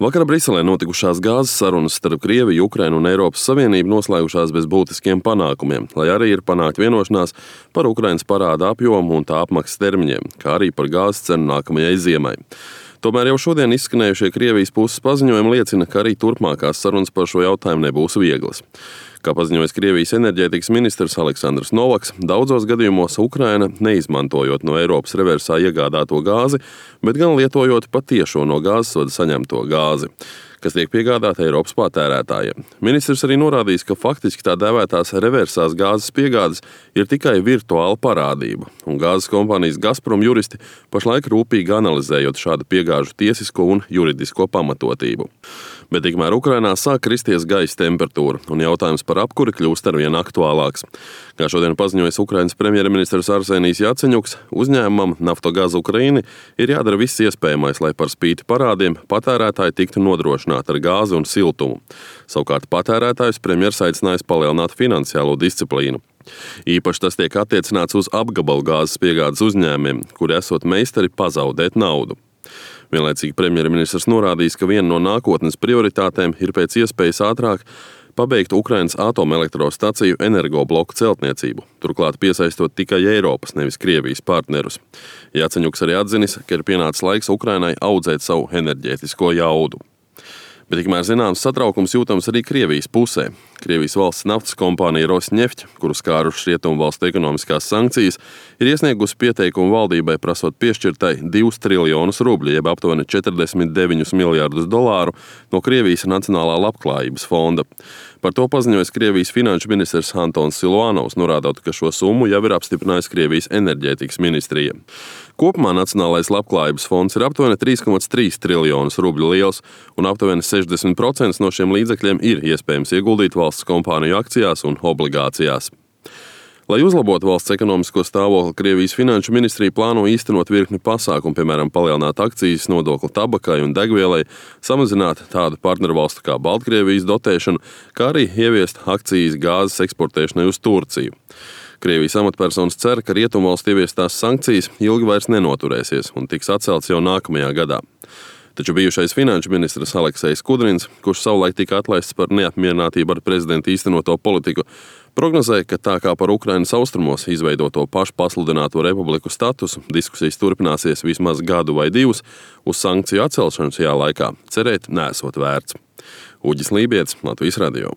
Vakar Briselē notikušās gāzes sarunas starp Krieviju, Ukrainu un Eiropas Savienību noslēgušās bez būtiskiem panākumiem, lai arī ir panākt vienošanās par Ukrainas parāda apjomu un tā apmaksas termiņiem, kā arī par gāzes cenu nākamajai ziemai. Tomēr jau šodien izskanējušie Krievijas puses paziņojumi liecina, ka arī turpmākās sarunas par šo jautājumu nebūs vieglas. Kā paziņojis Krievijas enerģētikas ministrs Aleksandrs Novaks, daudzos gadījumos Ukraina, neizmantojot no Eiropas reversā iegādāto gāzi, bet gan lietojot patiešo no gāzesvada saņemto gāzi, kas tiek piegādāta Eiropas patērētājiem. Ministrs arī norādījis, ka faktiski tā dēvētās reversās gāzes piegādes ir tikai virtuāla parādība, un gāzes kompānijas Gazprom juristi pašlaik rūpīgi analizējot šādu piegāžu tiesisko un juridisko pamatotību. Bet tikmēr Ukrainā sāk kristies gaisa temperatūra, un jautājums par apkuri kļūst arvien aktuālāks. Kā šodien paziņojis Ukrainas premjerministrs Arsenijs Jaceņuks, uzņēmumam Naftogaz Ukraina ir jādara viss iespējamais, lai par spīti parādiem patērētāji tiktu nodrošināti ar gāzi un siltumu. Savukārt patērētājus premjers aicinājis palielināt finansiālo disciplīnu. Īpaši tas tiek attiecināts uz apgabalu gāzes piegādes uzņēmumiem, kuri esot meistari pazaudēt naudu. Vienlaicīgi premjerministrs norādījis, ka viena no nākotnes prioritātēm ir pēc iespējas ātrāk pabeigt Ukrainas atomelektrostaciju energobloku celtniecību, turklāt piesaistot tikai Eiropas, nevis Krievijas partnerus. Jaceņuks arī atzinis, ka ir pienācis laiks Ukrainai audzēt savu enerģētisko jaudu. Bet tikmēr zināms satraukums jūtams arī Krievijas pusē. Krievijas valsts naftas kompānija Rosneft, kuru skārušas rietumu valstu ekonomiskās sankcijas, ir iesniegusi pieteikumu valdībai prasot piešķirtai 2 triljonus rubļu, jeb aptuveni 49 miljārdus dolāru no Krievijas Nacionālā labklājības fonda. Par to paziņojas Krievijas finanšu ministrs Antons Siluanovs, norādot, ka šo summu jau ir apstiprinājis Krievijas enerģētikas ministrija. Kopumā Nacionālais labklājības fonds ir aptuveni 3,3 triljonus rubļu liels, un aptuveni 60% no šiem līdzekļiem ir iespējams ieguldīt valsts kompāniju akcijās un obligācijās. Lai uzlabotu valsts ekonomisko stāvokli, Krievijas finanšu ministrija plāno īstenot virkni pasākumu, piemēram, palielināt akcijas nodokli tabakai un degvielai, samazināt tādu partnervalstu kā Baltkrievijas dotēšanu, kā arī ieviest akcijas gāzes eksportēšanai uz Turciju. Krievijas amatpersonas cer, ka rietumvalstu ieviestās sankcijas ilgi vairs nenoturēsies un tiks atcelts jau nākamajā gadā. Taču bijušais finanšu ministrs Aleksejs Kudrins, kurš savulaik tika atlaists par neapmierinātību ar prezidenta īstenoto politiku, prognozēja, ka tā kā par Ukrainas austrumos izveidoto pašu pasludināto republiku statusu diskusijas turpināsies vismaz gadu vai divus, uz sankciju atcelšanu šajā laikā cerēt nesot vērts. Uģis Lībietis, Latvijas radio.